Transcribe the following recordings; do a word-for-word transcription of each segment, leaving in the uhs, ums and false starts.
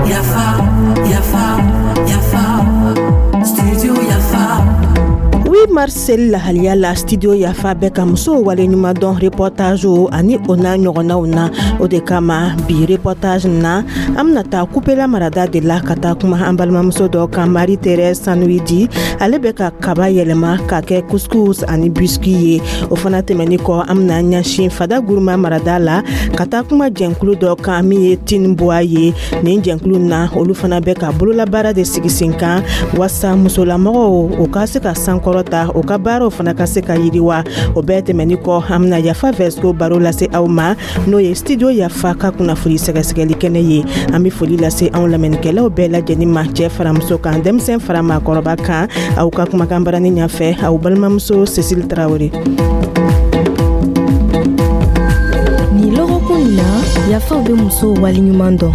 Yafa, Yafa, Yafa, Studio Yafa. huit mars seli lahaliya la, Studio Yafa bɛ ka musow waleɲuman dɔn reportage ani o n'a ɲɔgɔnnaw na. O de kama, bi reportage na, an bena taa Kupela marada de la ka taa kuma an balimamuso dɔ kan, Marie Thérèse Sanuidi. Ale bɛ ka kaba yɛlɛma ka kɛ couscous ani biscuit ye. O fana tɛmɛni kɔ, an bena ɲɛsin Fada Guruma marada la ka taa kuma jɛnkulu dɔ kan min ye Tinboa ye. Nin jɛnkulu na, olu fana bɛ ka bololabaara de sigi sen kan wasa musolamɔgɔw o ka se ka sankɔrɔta, o ka baaraw fana ka se ka yiriwa. O bɛɛ tɛmɛni kɔ, an bena Yafa Vɛsco baro lase aw ma, n'o ye Studio Yafa ka kunnafoni sɛgɛsɛgɛli kɛnɛ ye. An be foli lase anw lamɛnnikɛlaw bɛɛ lajɛnin ma, cɛɛ fara muso kan, denmisɛn fara maakɔrɔba kan. Aw ka kumakan barani ɲafɛ, aw balimamuso Cécile Tarawele. Nin lɔgɔkun na, Yafaw bɛ musow waleɲuman dɔn.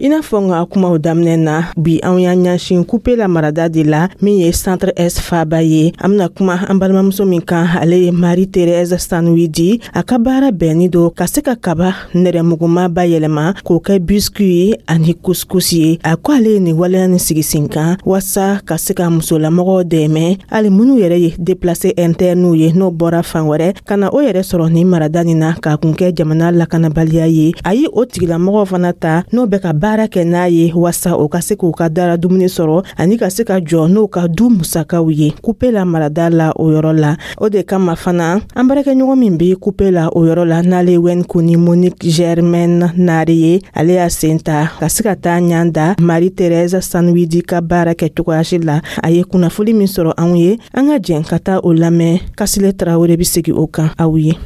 I n'a fɔ n ka kumaw daminɛ na, bi anw y'an ɲɛsin Kupela marada de la, min ye Centre Est faba ye. An bena kuma an balimamuso min kan, ale ye Marie Thérèse Sanuidi. A ka baara bɛnni do ka se ka kaba nɛrɛmuguma bayɛlɛma k'o kɛ biscuit ye ani couscous ye. A ko ale ye nin waleya ni sigi sen kan waasa ka se ka musolamɔgɔw dɛmɛ, hali minnu yɛrɛ ye déplacé internew ye, n'o bɔra fan wɛrɛ ka na o yɛrɛ sɔrɔ nin marada nin na k'a kun kɛ jamana lakanabaliya ye. A ye o tigilamɔgɔw fana ta n'o bɛ ka baara kɛ n'a ye wasa o ka se k'u ka dara dumuni sɔrɔ ani ka se ka jɔ n'o ka du musakaw ye Kupela marada la o yɔrɔ la. O de kama fana, an baarakɛɲɔgɔn min be Kupela o yɔrɔ la, n'ale wɛn Koni Monique Germaine Nare ye, ale y'a sen ta ka se ka taa ɲan da Marie Thérèse Sanuidi ka baara kɛ cogoyasi la. A ye kunnafoli min sɔrɔ anw ye, an ka jɛn ka taa o lamɛn. Kasile Tarawele be segi o kan aw ye.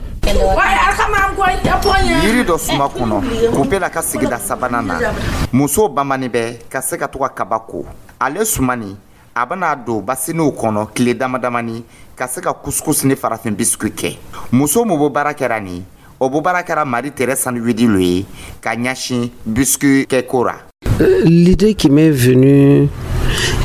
Yiri dɔ suma kɔnɔ Kupela ka sigida sabanan na, musow bamani bɛ ka se ka to ka kaba ko. Ale sumani, a bɛna don basiniw kɔnɔ tile dama damani ka se ka couscous ni farafin biscuit kɛ. Muso min bɛ baara kɛra nin o bɛ baara kɛra Marie Thérèse Sanuidi lo ye ka ɲɛsin biscuit kɛko ra. L'idée qui m'est venue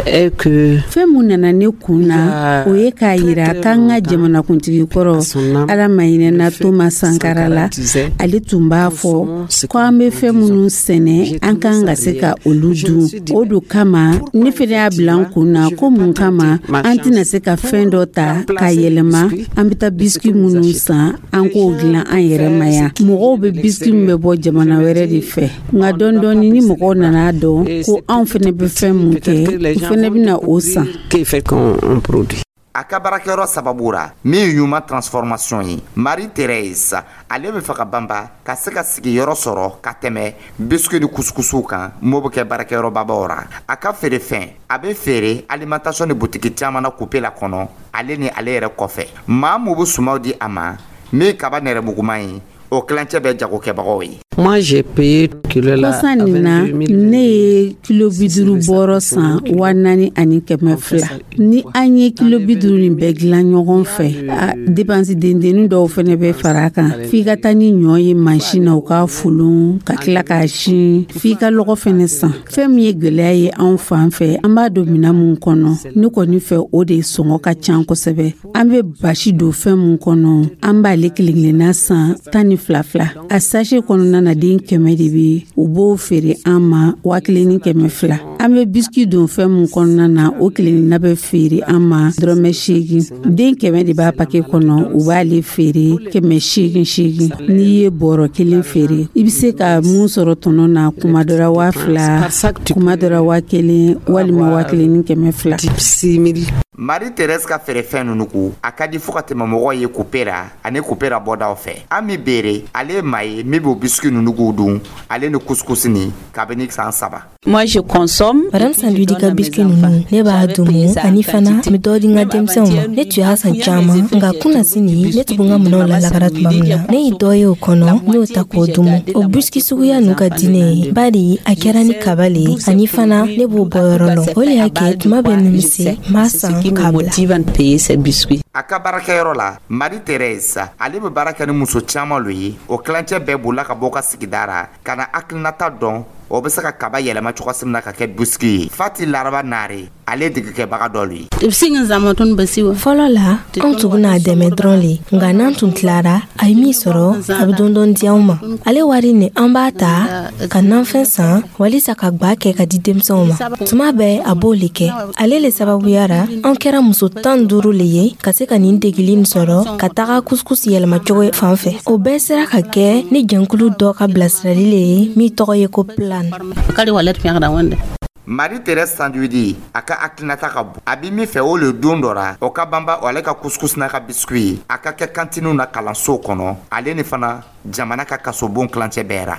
est que Fɛn mun nana ne kun na, o ye k'a yira k'an ka jamanakuntigi kɔrɔ, Ala ma hinɛna Toma Sankara la, ale tun b'a fɔ ko an bɛ fɛn minnu sɛnɛ, an kan ka se ka olu dun. O do kama ne fɛnɛ y'a bila n kun na ko mun kama an tɛna se ka fɛn dɔ ta k'a yɛlɛma? An bɛ taa biscuit minnu san, an k'o dilan an yɛrɛ ma yan. Mɔgɔw bɛ biscuit min bɛ bɔ jamana wɛrɛ de fɛ, nka dɔɔni dɔɔni, ni mɔgɔw nana dɔn ko anw fɛnɛ bɛ fɛn mun kɛ, u fɛnɛ bɛna o san. Qu'est fait qu'on on produit. A ka baarakɛyɔrɔ sababu ra min ye ɲuman transformation ye, Marie Thérèse ale bɛ fɛ ka banba ka se ka sigiyɔrɔ sɔrɔ ka tɛmɛ biscuit ni couscousiw kan m'o bɛ kɛ baarakɛyɔrɔbabaw ra. A ka feerefɛn, a bɛ feere alimentation ni butiki caman na Kupela kɔnɔ. Ale ni ale yɛrɛ kɔfɛ, maa mun bɛ sumaw di a ma min kaba nɛrɛmuguman ye, o kilancɛ bɛ jagokɛbagaw ye. Moi, j'ai payé kilo la Kɔsa nin na, ne ye kilo bi duuru bɔrɔ san wa naani ani kɛmɛ fila. Ni an ye kilo bi duuru nin bɛɛ dilan ɲɔgɔn fɛ, a dépense dendennin dɔw fɛnɛ bɛ fara a kan. F'i ka taa ni ɲɔ ye mansin na, u k'a folon ka tila k'a sin, f'i ka lɔgɔ fɛnɛ san. Fɛn min ye gwɛlɛya ye anw fan fɛ, an b'a don minan mun kɔnɔ, ne kɔni fɛ, o de sɔngɔ ka ca kosɛbɛ. An bɛ basi don fɛn mun kɔnɔ, an b'ale kelen kelenna san tan ni fila fila. A sachet kɔnɔna na, den kɛmɛ de bɛ, u b'o feere an ma waa kelen ni kɛmɛ fila. An bɛ biscuit don fɛn mun kɔnɔna na, o kelenna bɛ feere an ma dɔrɔmɛ seegin. Den kɛmɛ de b'a paquet kɔnɔ, u b'ale feere kɛmɛ seegin seegin. N'i ye bɔrɔ kelen feere, i bɛ se ka mun sɔrɔ tɔnɔ na, kuma dɔ la waa fila, kuma dɔ la waa kelen walima waa kelen ni kɛmɛ fila. Marie Thérèse ka feerefɛn ninnu ko a ka di fo ka tɛmɛ mɔgɔw ye Kupera ani Kupera bɔdaw fɛ. Ami Bere, ale ye maa ye min b'o biscuit ninnu k'u dun, ale ni couscous ni, kabini san saba. Moi, je consomme. Madame Sandwidi ka biscuit ninnu, ne b'a dumu ani fana n bɛ dɔ di n ka denmisɛnw ma. Ne tun y'a san caman, nka kunasini ne tun bɛ n ka minɛnw lalakara tuma min na, ne ye dɔ ye o kɔnɔ, ne y'o ta k'o dumu. O biscuit suguya ninnu ka di ne ye, bari a kɛra ni kaba le ye, ani fana ne b'o bɔyɔrɔ lɔn. O le y'a kɛ tuma bɛɛ nimisi n b'a san k'a bila. A ka baarakɛyɔrɔ la, Marie Thérèse ale bɛ baara kɛ ni muso caman lo ye. O kilancɛ bɛɛ bolila ka bɔ ka sigida ra ka na hakilinata dɔn o bɛ se ka kaba yɛlɛma cogoya min na ka kɛ biscuit ye. Fati Laraba Nare. Ale degekɛbaga dɔ ye. Fɔlɔ la, anw tun bɛna dɛmɛ dɔrɔn le, nka n'an tun tilara, a ye min sɔrɔ, a bɛ dɔɔni di anw ma. Ale wari nin, an b'a ta ka nanfɛn san walisa ka gwa kɛ ka di denmisɛnw ma. Tuma bɛɛ a b'o le kɛ. Ale le sababuya ra, an kɛra muso tan duuru le ye ka se ka nin degeli nin sɔrɔ ka taga couscous yɛlɛmacogo fan fɛ. O bɛɛ sera ka kɛ ni jɛnkulu dɔ ka bilasirali le ye min tɔgɔ ye ko Plan. Marie Thérèse Sanduidi, a ka hakilinata ka bon. A bɛ min fɛ, o le don dɔ ra o ka banba ale ka couscous n'a ka biscuit ye, a ka kɛ kantiniw na kalansow kɔnɔ, ale ni fana jamana ka kasobon kilancɛ bɛɛ ra.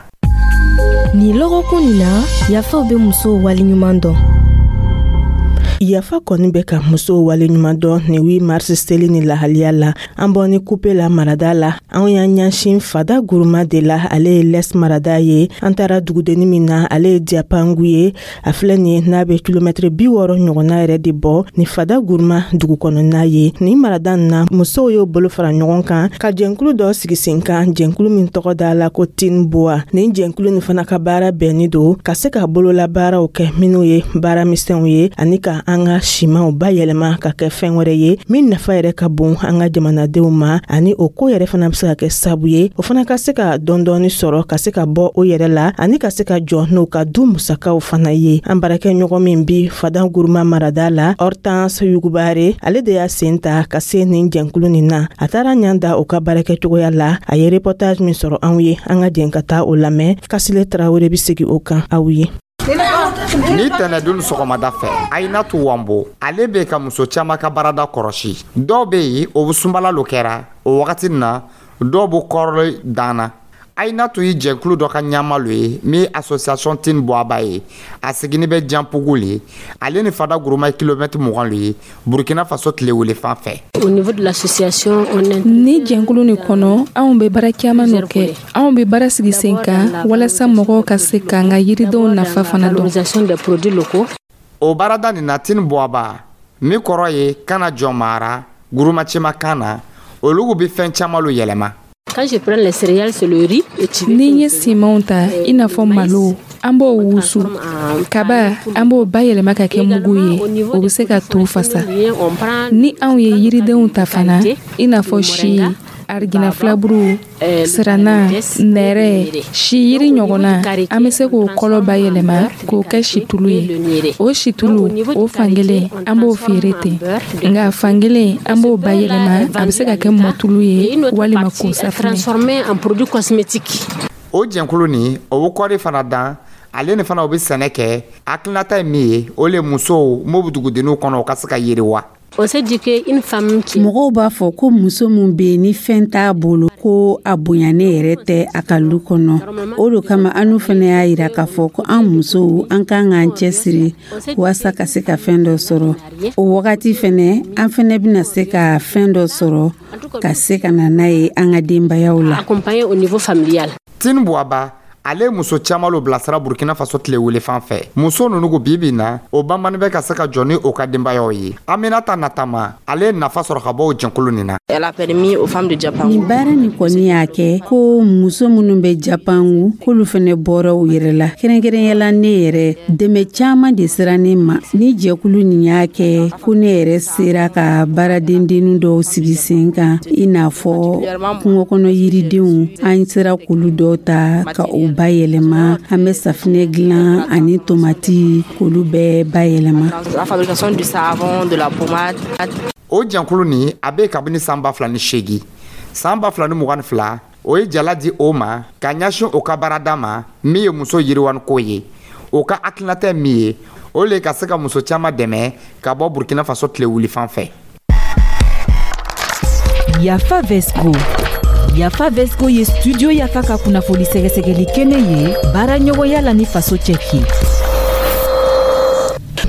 Nin lɔgɔkun nin na, Yafaw bɛ musow waleɲuman dɔn. Yafa kɔni bɛ ka musow waleɲuman dɔn nin huit mars seli ni lahaliya la. An bɔ ni Kupe la marada la, anw y'an ɲɛsin Fada Guruma de la. Ale ye l'Est marada ye. An taara dugudenni min na, ale ye Diapangu ye. A filɛ nin ye, n'a bɛ kilomɛtiri bi wɔɔrɔ ɲɔgɔnna yɛrɛ de bɔ ni Fada Guruma dugu kɔnɔna ye. Nin marada nin na, musow y'o bolo fara ɲɔgɔn kan ka jɛnkulu dɔ sigi sen kan, jɛnkulu min tɔgɔ da la ko Tin Boa. Nin jɛnkulu nin fana ka baara bɛnni don ka se ka bololabaaraw kɛ minnu ye baara misɛnw ye, ani ka an ka simanw bayɛlɛma ka kɛ fɛn wɛrɛ ye min nafa yɛrɛ ka bon an ka jamanadenw ma, ani o ko yɛrɛ fana bɛ se ka kɛ sabu ye o fana ka se ka dɔɔni sɔrɔ ka se ka bɔ o yɛrɛ la, ani ka se ka jɔ n'o ka du musakaw fana ye. An baarakɛɲɔgɔn min bi Fada Guruma marada la, Hortense Yugubare, ale de y'a sen ta ka se nin jɛnkulu nin na. A taara ɲan da o ka baarakɛcogoya la. A ye reportage min sɔrɔ anw ye, an ka jɛn ka taa o lamɛn. Kasile Tarawele bɛ segin o kan aw ye. Ni tɛnɛdon sɔgɔmada fɛ, Ayinatu Wanbo, ale bɛ ka muso caman ka baarada kɔrɔsi. Dɔw bɛ yen, o bɛ sunbala lo kɛra o wagati na, dɔw bɛ kɔrɔli dan na. Ayinatu ye jɛkulu dɔ ka ɲama lo ye min ye association Tin Buwaba ye. A sigini bɛ Janpugu le. Ale ni Fada Guruma ye kilomɛtiri mugan lo ye Burkina Faso tile wele fan fɛ. Ni jɛnkulu nin kɔnɔ, anw bɛ baara caman nɔ kɛ. Anw bɛ baara sigi sen kan walasa mɔgɔw ka se k'an ka yiridenw nafa fana dɔn. O baarada nin na, Tin Buwaba min kɔrɔ ye kana jɔn mara gurumacɛma kan na, olu bɛ fɛn caman lo yɛlɛma. Ni n ye simanw ta, i n'a fɔ malo, an b'o wusu. Kaba, an b'o bayɛlɛma ka kɛ mugu ye, o bɛ se ka to fasa. Ni anw ye yiridenw ta fana, i n'a fɔ si, arigina filaburu, sirana, nɛrɛ, si yiri ɲɔgɔnna, an bɛ se k'o kɔlɔ bayɛlɛma k'o kɛ situlu ye. O situlu o, fankelen an b'o feere ten, nka fankelen an b'o bayɛlɛma, a bɛ se ka kɛ mɔtulu ye walima ko safunɛ. O jɛnkulu nin, o bɛ kɔɔri fana dan. Ale ni fana o bɛ sɛnɛ kɛ. Hakilinata ye min ye, o le musow m'o bɛ dugudenninw kɔnɔ, o ka se ka yiriwa. Mɔgɔw b'a fɔ ko muso min bɛ yen ni fɛn t'a bolo, ko a bonyanen yɛrɛ tɛ a ka lu kɔnɔ. O de kama an fana y'a jira k'a fɔ ko an musow, an kan k'an cɛsiri walasa ka se ka fɛn dɔ sɔrɔ. O wagati fana, an fana bɛna se ka fɛn dɔ sɔrɔ ka se ka na n'a ye an ka denbayaw la. Tin Buwaba, ale muso caman lo bilasira Burkina Faso tile wele fan fɛ. Muso ninnu ko bibi na, o banbani bɛ ka se ka jɔ ni o ka denbayaw ye. Aminata Natama, ale ye nafa sɔrɔ ka bɔ o jɛnkulu nin na. Nin baara nin kɔni y'a kɛ ko muso minnu bɛ Japangu, k'olu fana bɔra u yɛrɛ la. Kɛrɛnkɛrɛnyala, ne yɛrɛ, dɛmɛ caman de sera ne ma. Ni jɛkulu nin y'a kɛ ko ne yɛrɛ sera ka baaradendennin dɔw sigi sen kan, i n'a fɔ kungo kɔnɔ yiridenw, an sera k'olu dɔw ta ka o bayɛlɛma. An bɛ safinɛ dilan ani tomati, k'olu bɛɛ bayɛlɛma. O jɛnkulu nin, a bɛ kabini san ba fila ni seegin. San ba fila ni mugan ni fila, o ye jala di o ma ka ɲɛsin o ka baarada ma min ye muso yiriwaniko ye. O ka hakilinata ye min ye, o le ka se ka muso caman dɛmɛ ka bɔ Burkina Faso tile wuli fan fɛ. Yafa Vesco. Yafa Vesco ye Studio Yafa ka kunnafoni sɛgɛsɛgɛli kɛnɛ ye baara ɲɔgɔnya la ni faso cɛki.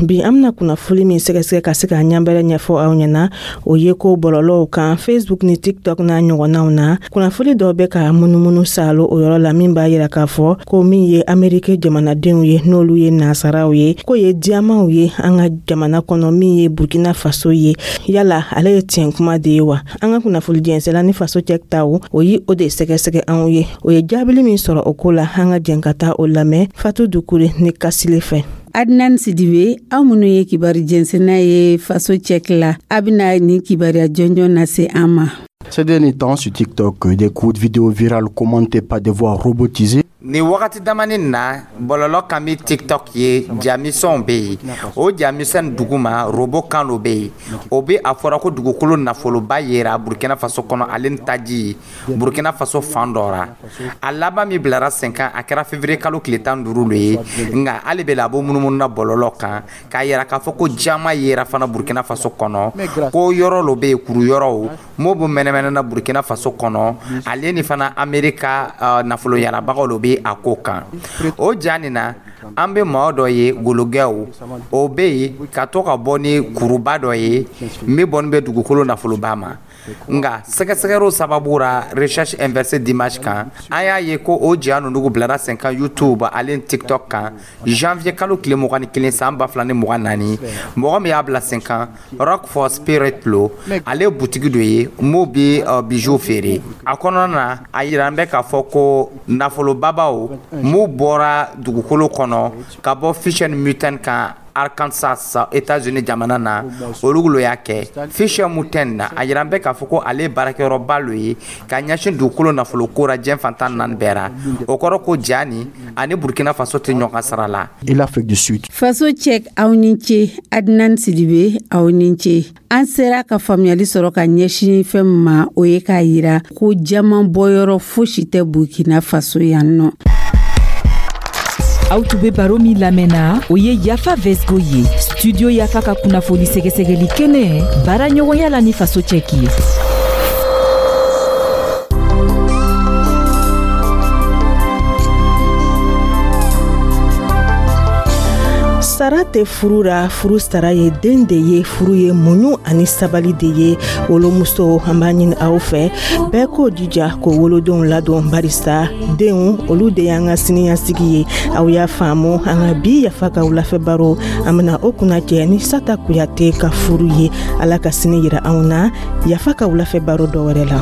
Bi, an bena kunnafoli min sɛgɛsɛgɛ ka se k'a ɲanbɛrɛ ɲɛfɔ aw ɲɛna, o ye ko bɔlɔlɔw kan, Facebook ni TikTok n'a ɲɔgɔnnaw na, kunnafoli dɔw bɛ ka munumunu saalo o yɔrɔ la min b'a yira k'a fɔ ko min ye Ameriki jamanadenw ye, n'olu ye nasaraw ye, k'o ye diyamanw ye an ka jamana kɔnɔ min ye Burkina Faso ye. Yala ale ye tiɲɛ kuma de ye wa? An ka kunnafoli jɛnsɛla ni faso cɛ taw, o ye o de sɛgɛsɛgɛ anw ye. O ye jaabili min sɔrɔ o ko la, an ka jɛn ka taa o lamɛn Fatu Dukure ni Kasile fɛ. Adnan Sidibe, aw minnu ye kibaru jɛnsɛnna ye Faso Cɛki la, a bɛna nin kibaruya jɔnjɔn lase an ma. Ces derniers temps, sur TikTok, des courtes vidéos virales commentées par des voix robotisées. Nin wagati damani na, bɔlɔlɔ kan bɛ TikTok ye, jamisɛnw bɛ yen. O jamisɛn duguma, robot kan dɔ bɛ yen. O bɛ a fɔra ko dugukolo nafoloba yera Burkina Faso kɔnɔ, ale ni taji Burkina Faso fan dɔ ra. A laban min bilara sen kan, a kɛra février kalo tile tan duuru lo ye. Nka hali bɛ la, a b'o munumunu na bɔlɔlɔ kan k'a yira k'a fɔ ko jama yera fana Burkina Faso kɔnɔ, ko yɔrɔ dɔ bɛ yen, kuru yɔrɔw m'o bɛ mɛnɛmɛnɛ na Burkina Faso kɔnɔ. Ale ni fana Amerika uh, nafolo yarabagaw lo bɛ a ko kan. O ja nin na, an bɛ maa dɔ ye, gologɛw o bɛ yen ka to ka bɔ ni kuruba dɔ ye min bɔnni bɛ dugukolo nafoloba ma. Nka sɛgɛsɛgɛliw sababu ra, recherche inversée d'image kan, an y'a ye ko o ja ninnu bilara sen kan YouTube ale ni TikTok kan janvier kalo tile mugan ni kelen san ba fila ni mugan naani. Mɔgɔ min y'a bila sen kan, Rock for Spirit lo. Ale ye butigi dɔ ye m'o bɛ uh, bijou feere. A kɔnɔna na, a yira an bɛ k'a fɔ ko nafolobabaw m'u bɔra dugukolo kɔnɔ ka bɔ Fisher Mountain kan, Arkansas, États-Unis jamana na, olu lo y'a kɛ. Fisher Mountain na, a yira an bɛ k'a fɔ ko ale ye baarakɛyɔrɔba lo ye ka ɲɛsin dugukolo nafolo ko ra diɲɛ fantan naani bɛɛ ra. O kɔrɔ ko ja ni ani Burkina Faso tɛ ɲɔgɔn sara la. Et l'Afrique du Sud. Faso Cɛk, aw ni ce. Adnan Sidibe, aw ni ce. An sera ka faamuyali sɔrɔ ka ɲɛsin fɛn min ma, o ye k'a yira ko jaman bɔyɔrɔ fosi tɛ Burkina Faso yan nɔ. Aw tun bɛ baro min lamɛnna, o ye Yafa Vesgo ye, Studio Yafa ka kunnafoni sɛgɛsɛgɛli kɛnɛ, baara ɲɔgɔnya la ni Faso Cɛki ye. Sara tɛ furu ra, furu sara ye den de ye. Furu ye muɲu ani sabali de ye. Wolomuso, an b'a ɲini aw fɛ, bɛɛ k'o jija k'o wolodenw ladon, barisa denw, olu de y'an ka siniɲɛsigi ye. Aw y'a faamu? An ka bi Yafa ka wulafɛ baro, an bena o kunna cɛ ni Sata Kuyate ka furu ye. Ala ka sini yira anw na Yafa ka wulafɛ baro dɔ wɛrɛ la.